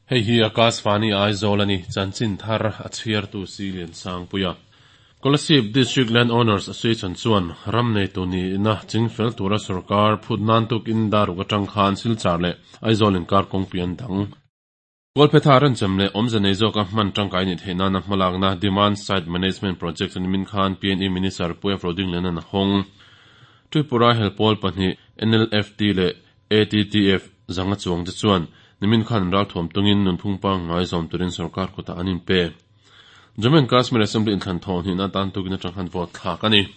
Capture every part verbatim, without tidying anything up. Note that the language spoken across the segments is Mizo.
Hei hi Akashvani Aizawl ani chanchin thar a chhiartu Silian Sangpuia. Kolasib District Land Owners Association chuan ram neitu ni na chingfel tura sarkar phut nan tuk in daruk atang khan Silchar leh Aizawl inkar kawngpui an dang. Kawlphetha ran chem leh awmze nei zawka hman tangkai ni theih nana hmalakna Demand Side Management Project an min khan P N E Minister Puia Roding Lian an hawng. Tripura helpawl pahnih N L F T leh A T T F zanga chuang te chuan nimin khan ral thuam tungin nunphung pangngai zawm turin sarkar kutah an inpe. Jammu and Kashmir Assembly inthlan thawh hnih na tan tukin atang khan vote thlak ani.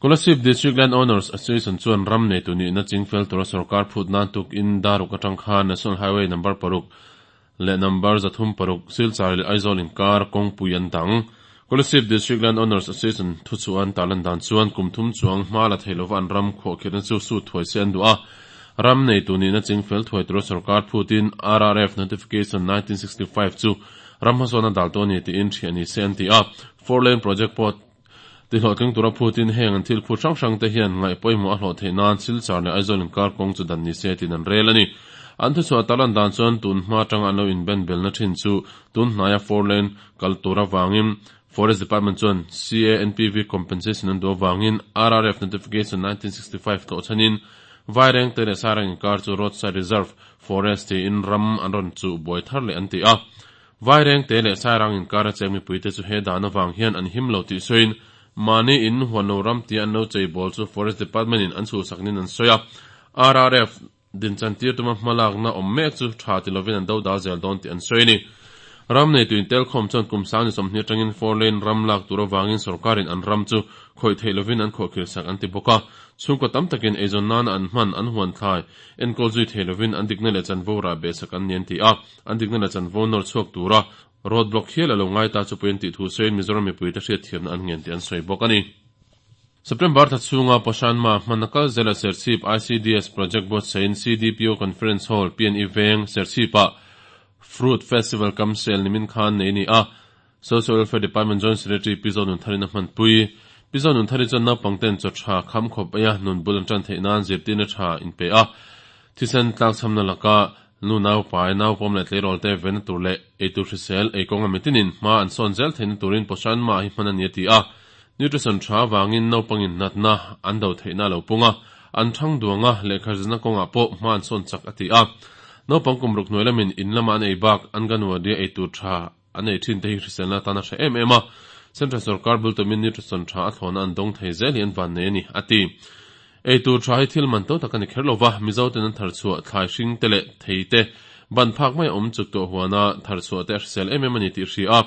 Kolasib District Land Owners Association chuan ram nei tu ni na chingfel tura sarkar phut nan tuk in daruk atang khan National Highway number paruk leh number zathum paruk Silchar leh Aizawl inkar kawngpui an dang. Kolasib District Land Owners Association thu chuan talan dan chuan kum thum chuang hma la theilova an ram khuah khirna chu su thuai se an duh a. Ram nei tu ni na chingfel thuai tura sarkar phutin R R F Notification nineteen sixty-five chu ram hmasawna dal to ni tiin thian ni se an ti a. Four lane project pawh ti hlawhtling tura phutin heng an thil phut hrang hrang te hian ngaih pawimawh a hlawh theih nan Silchar leh Aizawl inkar kawng chu dan ni se tin an rel ani. An thu chhuah talan dan chuan tun hma tang an lo inben belna thin chu tun hnaia four lane kal tura wangin Forest Department chuan C A N P V compensation an duh wangin R R F Notification nineteen sixty-five to chanin Vaireng te leh Sarang inkar chu Roadside Reserve Forest ti in ram an rawn chu buai thar leh an ti a. Vaireng te leh Sarang inkar a cheng mipui te chu he dan awang hian an him lo tih sawiin mahni in huan lo ram ti an lo chei bawl chu Forest Department in an chhuhsak nin an sawi a. R R F din chan tir tuma hmalakna awm mek chu tha ti lovin an do dal zel dawn tih an sawi ni. Ram nei tuin tel khawm chuan kum sang ni sawmhnih atangin four lane ram lak tur awangin sarkarin an ram chu khawih theih lovin an khawh khir sak an ti bawk a. Chhungkaw tam takin eizawn nana an hman an huan thlai enkawl zui theih lovin an dikna leh chanvo rah be sak an ni an ti a. An dikna leh chanvo nawr chhuak tura road block hial a lo ngai ta chu puiin tih thu sawiin Mizoram mipui te hriat thiamna an ngen tih an sawi bawk ani. September tha chhunga Poshan Ma hman kal zela Serchhip I C D S Project Board sain C D P O Conference Hall P N E Veng Serchhipa Fruit Festival Kamsel nimin khan nei ni a. Social Welfare Department Joint Secretary Pizo Nunthari na hman pui. Pizo Nunthari chuan naupang ten chaw tha kham khawp aia nun bul an tan theih nan zirtirna tha in pe a. Thisen tlak chhamna laka nu nau pai nau pawm leh tleirawl te ven tur leh eitur hrisel ei kawnga mitinin hma an sawn zel theihna turin Poshan Ma hi hman a ni a ti a. Nutrition tha wangin naupangin natna an do theihna lo punga an thang duanga lehkha zirna kawngah pawh hma an sawn chak a ti a. Naupang kum ruk hnuai lamin in lama an ei bak an ganwadi ei tur tha an ei thin te hi hriselna tana hre em em a. Central sarkar bul tumin nutrition tha a thlawna an dawng thei zel hi an van nei ani a ti. Ei tur tha hi thil man to tak ani kher lova Mizo ten an thar chhuah thlai hring te leh thei te ban phak mai awm chuk tawh huana thar chhuah te a hrisel em em ani tih hri a.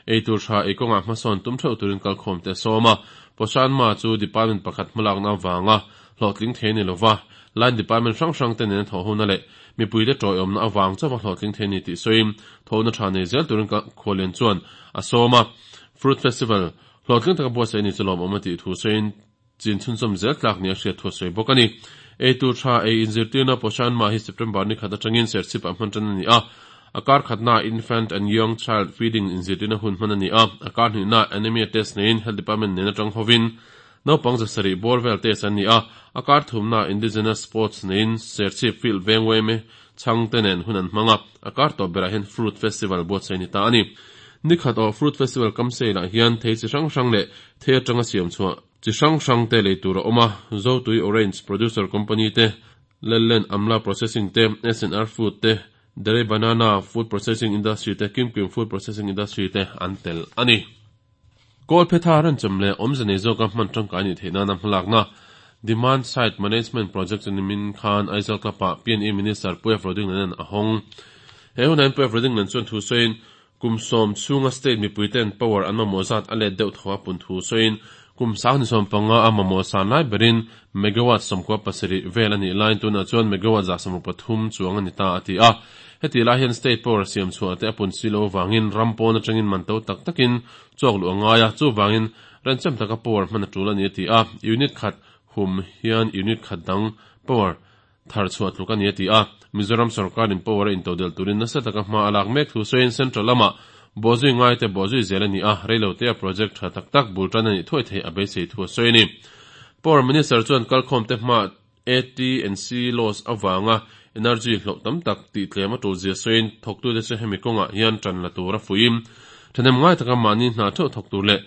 Ei tur tha ei kawngah hmasawn tum theuh turin kalkhawm te sawm a. Poshan Ma chu department pakhat hmalakna wanga hlawhtling thei ni lova line department hrang hrang te nen thawh huna leh mipui te tawiawmna awang chawa hlawhtling thei ni tih sawiin thawhna tha nei zel turin khualian chuan a sawm a. Fruit Festival hlawhtling taka buatsaih ni chu lawm awm a tih thu sawiin chin chhunchawm zel tlak ni a hriat thu sawi bawk ani. Ei tur tha ei inzirtirna Poshan Ma hi September ni khat atangin Serchhip ah hman tan ani a. Akar khatna Infant and Young Child Feeding inzirtirna hun hman ani a. Akar hnihna Anemia Test neiin Health Department nen atang hovin naupang zasarih bawr vel test an ni a. Akar thumna Indigenous Sports neiin Serchhip Field Vengway me chang te nen hun an hmang a. Akar tawp berah hian Fruit Festival buatsaih ni ta ani. Nikhat aw Fruit Festival kamsei lah hian thei chi hrang hrang leh thei atanga siam chhuah chi hrang hrang te lei tur a awm a. Zotui Orange Producer Company te Lellen Amla Processing te S N R Food te Dere Banana Food Processing Industry te Kimkim Food Processing Industry te an tel ani. Kawlphetha ran chem leh awmze nei zawka hman tangkai ni theih nana hmalakna Demand Side Management Project chu nimin khan Aizawl Club-ah P N E Minister Puia Roding Lian a hawng. He hunain Puia Roding Lian chuan thu sawiin kum sawm chhunga state mipui ten power an mamawh zat a let deuh thaw a pun thu sawiin kum sang ni sawm panga a mamawh san lai berin megawatt sawmkua pasarih vel ani line tunah chuan megawatt za sawmruk pathum chuang ani ta a ti a. Heti lai hian state power siam chhuah te a pun silo wangin ram pawn atangin man to tak takin chawk lu angai a. Chu wangin ranchem taka power hman a tul ani a ti a. Unit khat hum hian unit khat dang power thar chhuah tluk ani a ti a. Mizoram sarkarin power in todel turin nasa taka hma alak mek thu sawiin central lama bozui ngai te bozui zel ani a. Reilo te a project tha tak tak bul tan ani thuai thei a beisei thu sawi ni. Power Minister chuan kalkhawm te hma A T and C laws awanga Energy hloh tam tak tih tlem a tul zia sawiin thawktute chu hemi kawngah hian tan la tur a fuihim. Thahnem ngai taka mahni hna theuh thawk tur leh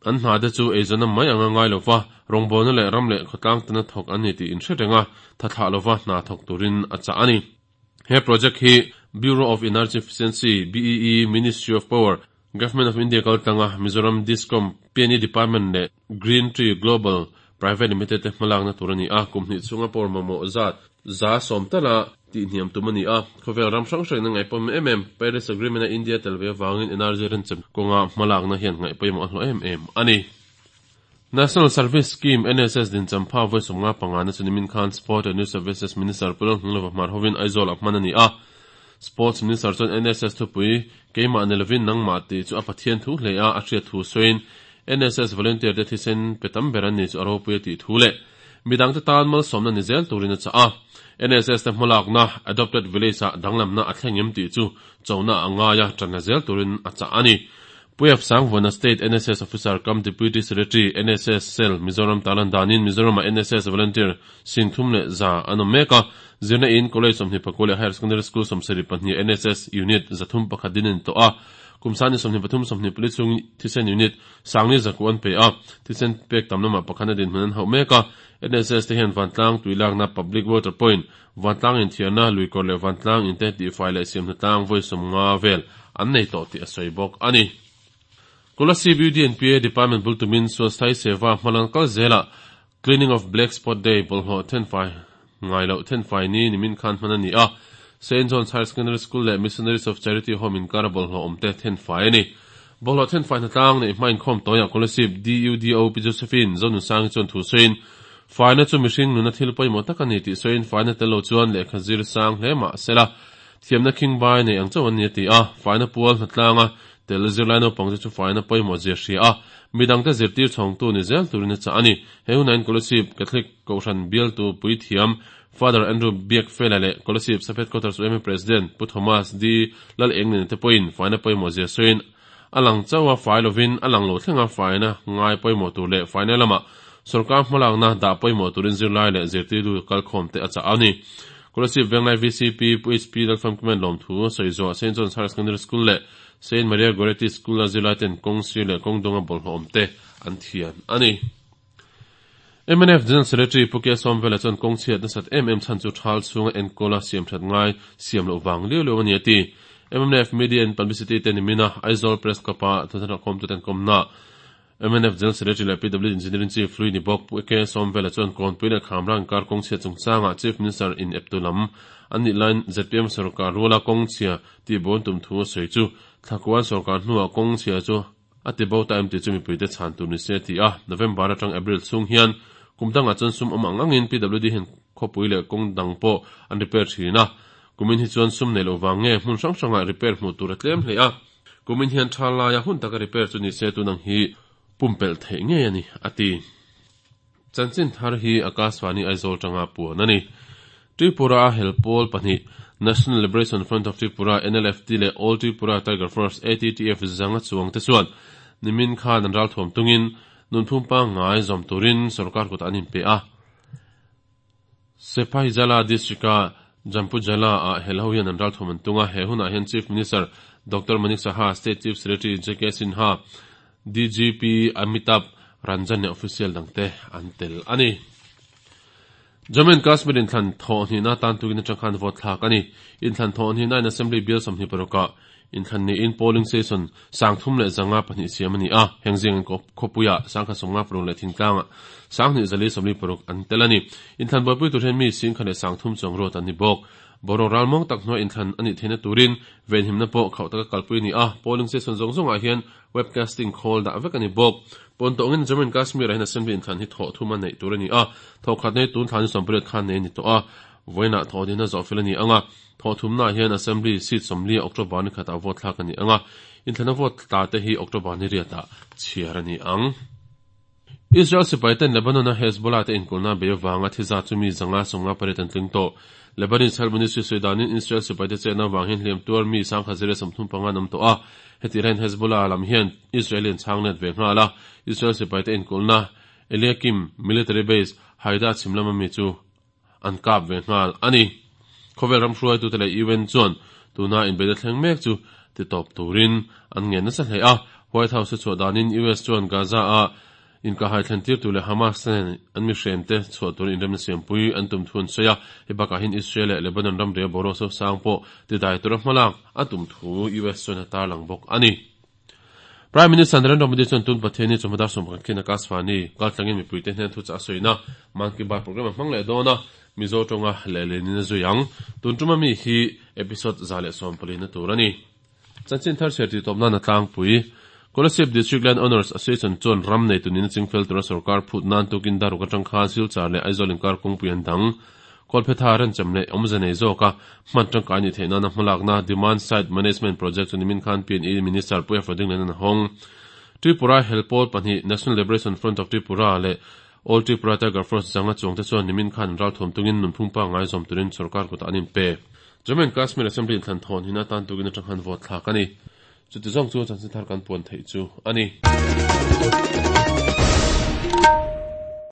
an hna te chu eizawnna mai anga ngai lova rawngbawlna leh ram leh khawtlang tana thawk an ni tih inhre renga tha thlah lova hna thawk turin a chah a ni. He project hi Bureau of Energy Efficiency, B E E, Ministry of Power, Government of India kaltlanga Mizoram Discom, P N E Department leh Green Tree Global Private Limited te hmalakna tur a ni a, kum hnih chhunga power mamawh zat za sawm tala tih hniam tum a ni a. Khawvel ram hrang hrangin a ngaihpawm em em Paris Agreement a India tel ve avangin energy renchem kawnga hmalakna hian ngaihpawimawh a hlawh em em a ni. National Service Scheme N S S din champha vawi sawmnga pangana chu nimin khan Sport and Youth Services Minister Pu Lalhnung Lova Hmar hovin Aizawl a hman a ni a. Sports Minister chuan N S S thupui keimah ni lovin nangmah tih chu a Pathian thu hle a, a hriat thu sawiin N S S volunteer te thisen pe tam ber an ni chu a ropui a tih thu leh midang te tan malsawmna ni zel turin a chah a. N S S te hmalakna Adopted Village ah danglamna a thleng em tih chu chona a ngaia tanna zel turin a chah a ni. Puyap Sangvana State N S S Officer cum Deputy Secretary N S S Cell Mizoram talan danin Mizoram a N S S volunteer sing thum leh za an awm mek a. Zirna in College sawmhnih pakua leh Higher Secondary School sawmsarih pahnih N S S Unit zathum pakhat din a ni tawh a. Kumsani sawmhnih pathum sawmhnih pali chhung thisen unit sangni zaku an pe a. Thisen pek tam lamah pakhat a din hmun an hauh mek a. N S S te hian Vantlang tuilakna Public Water Point, Vantlang inthiarna Luikawr leh Vantlang inte tihfai leh siamhna tlang vawi sawmnga vel an nei tawh tih a sawi bawk a ni. Kolasib U D N P A Department bul tumin Swasthai Seva hmalang kal zela Cleaning of Black Spot Day bawlhhlawh thenfai ngai loh thenfai ni nimin khan hman a ni a. Saint John's Higher Secondary School leh Missionaries of Charity Home inkar a bawlhhlawh awm te thenfai a ni. Bawlhhlawh thenfai hnatlang nei hma inkhawm tawiah Kolasib D U D O P Josephine Zonunsangi chuan thu sawiin faina chu mihring nuna thil pawimawh tak a ni tih sawiin faina tel lo chuan lehkha zir sang hle mah sela thiamna khing bai nei ang chauh an ni a ti a. Faina pual hnatlanga tel zirlai naupang te chu faina pawimawh zia hria a, midang te zirtir chhawngtu ni zel turin a chah a ni. He hunain Kolasib Catholic Kohhran bialtu Puithiam Father Andrew Biakfela leh Kolasib Sub Headquarters U M A President Pu Thomas D Lal Engnen te pawhin faina pawimawh zia sawiin a lang chauh a fai lovin a lang lo thlenga faina ngai pawimawh tur leh faina lamah sarkar hmalakna dah pawimawh turin zirlai leh zirtirtu kalkhawm te a chah a ni. Kolasib Venglai V C P Pu H P Lalfam Kumen lawm thu sawi zawh Saint John's Higher Secondary School leh Saint Maria Goretti School a zirlai ten kawng sir leh kawng dunga bawlhhlawh awm te an thian a ni. M N F General Secretary Pu K Sawmvela chuan kawng chhiat nasat em em chhan chu thal chhunga enkawl a siam that ngai siam loh wang liu liu a ni a ti. M N F Media and Publicity te nimina Aizawl Press Club a thuthar khawm tu ten kawmna M N F General Secretary leh P W Engineering Chief Lui ni bawk Pu K Sawmvela chuan kawnpui leh khamrang kar kawng chhia chungchanga Chief Minister in eptu lam an nih lain Z P M sarkar ruala kawng chhia tih bawn tum thu a sawi chu thlakuan sarkar hnuah kawng chhia chu a ti bo ta em tih chu mipui te chhan tur ni se ti a. November atang April chhung hian kumdangah chuan sum awm ang angin P W D hian khawpui leh kawng dang pawh an repair thin a. Kumin hi chuan sum nei lo wang nge hmun hrang hrangah repair hmuh tur a tlem hle a. Kumin hian tha laia hun taka repair chu ni se tunang hi pumpelh theih ngei a ni a ti. Chanchin thar hi Akashvani Aizawl tanga puan a ni. Tripura a helpawl pahnih National Liberation Front of Tripura N L F T leh All Tripura Tiger Force A T T F zanga chuang te chuan nimin khan an ral thuam tungin nunphung pa ngai zawm turin sarkar kut an inpe a. Sepahijala district a Jampujala a helho hian an ral thuam an tunga. He hunah hian Chief Minister Doctor Manik Saha, State Chief Secretary J K Sinha, D G P Amitabh Ranjan leh official dangte an tel a ni. Jammu and Kashmir inthlan thaw hnihna tan tukin atang khan vote thlak a ni. Inthlan thaw hnihna in Assembly bial sawmhnih parukah inthlan ni in polling station sangthum leh zanga pahnih siam a ni a. Hengzing khawpuia sangkhat sawmnga paruk leh thingtlanga sanghnih zali sawmli paruk an tel a ni. Inthlan buaipui tur hian mi singkhat leh sangthum chuang ruat an ni bawk. Boro ralmawng tak hnuai inthlan ani theihna turin venhimna pawh khauh taka kalpui ni a. Polling station zawng zawngah hian webcasting call dah vek a ni bawk. Pawntawngin Jammu and Kashmir ah hian assembly inthlan hi thawh thum a neih tur a ni a. Thawh khat nei tun thlan sawmpariat khan nei ni tawh a. Vawiinah thawh dina zawh fel a ni anga. Thawh thumna hian assembly seat sawmli October ni khatah vote thlak a ni anga. Inthlana vote tla te hi October ni riatah chhiar a ni ang. Israel sipai ten Lebanon a Hezbollah te inkulna bei awanga thiza chu mi zanga sawmnga pariat an tling tawh. Lebanese Health Ministry sawi danin Israel sipai te chehna awang hian hliam tuar mi sangkhat zira sawmthum panga an awm tawh a. Heti hian Hezbollah lam hian Israelian chhang net ve nghal a. Israel sipai te inkulna Eliakim Military Base Haida chhimlam ami chu an kap ve nghal a ni. Khawvel ram hruai tu te leh U N chuan tuna inbeihna thleng mek chu ti tawp turin an ngen nasa hle a. White House chhuah danin U S chuan Gaza a inkahhai thlen tir tur leh Hamas nen an mi hrente chhuah turin inremna siampui an tum thu an sawi a. Hei bakah hian Israel leh Lebanon ram ria boruak sosang pawh ti dai tura hmalak a tum thu U S chuan a tarlang bawk ani. Prime Minister Narendra Modi chuan tun Pathianni chawhma dar sawm pakhat khian Akashvani kaltlangin mipuite hnen thu chah a sawina Mann Ki Baat program a hmang leh dawn a, Mizo tawnga lehlin a zui ang. Tun tuma mi hi episode za leh sawm pali na tur a ni. Chanchin thar chhiar tih tawp nan a tlangpui. Kolasib District Land Owners Association chuan ram nei tunin a chingfel tura sorkar phut nan tukin daruk atang khan Silchar leh Aizawl inkar kawngpui an dang. Kawlphetha remcham leh awmze nei zawk a hman tangkai ni theih nana hmalakna Demand Side Management Project chu nimin khan P and E Minister Puia Fading nen an hawng. Tripura helpawl pahnih National Liberation Front of Tripura leh All Tripura Tiger Force zanga chuangte chuan nimin khan an ralthuam tungin nunphung pangngai zawm turin sorkar kutah an inpe. Jammu and Kashmir Assembly inthlan thawn hin atan tukin atang khan vote thlak a ni. Chuti zawng chu chanchin thar kan puan theih chu a ni.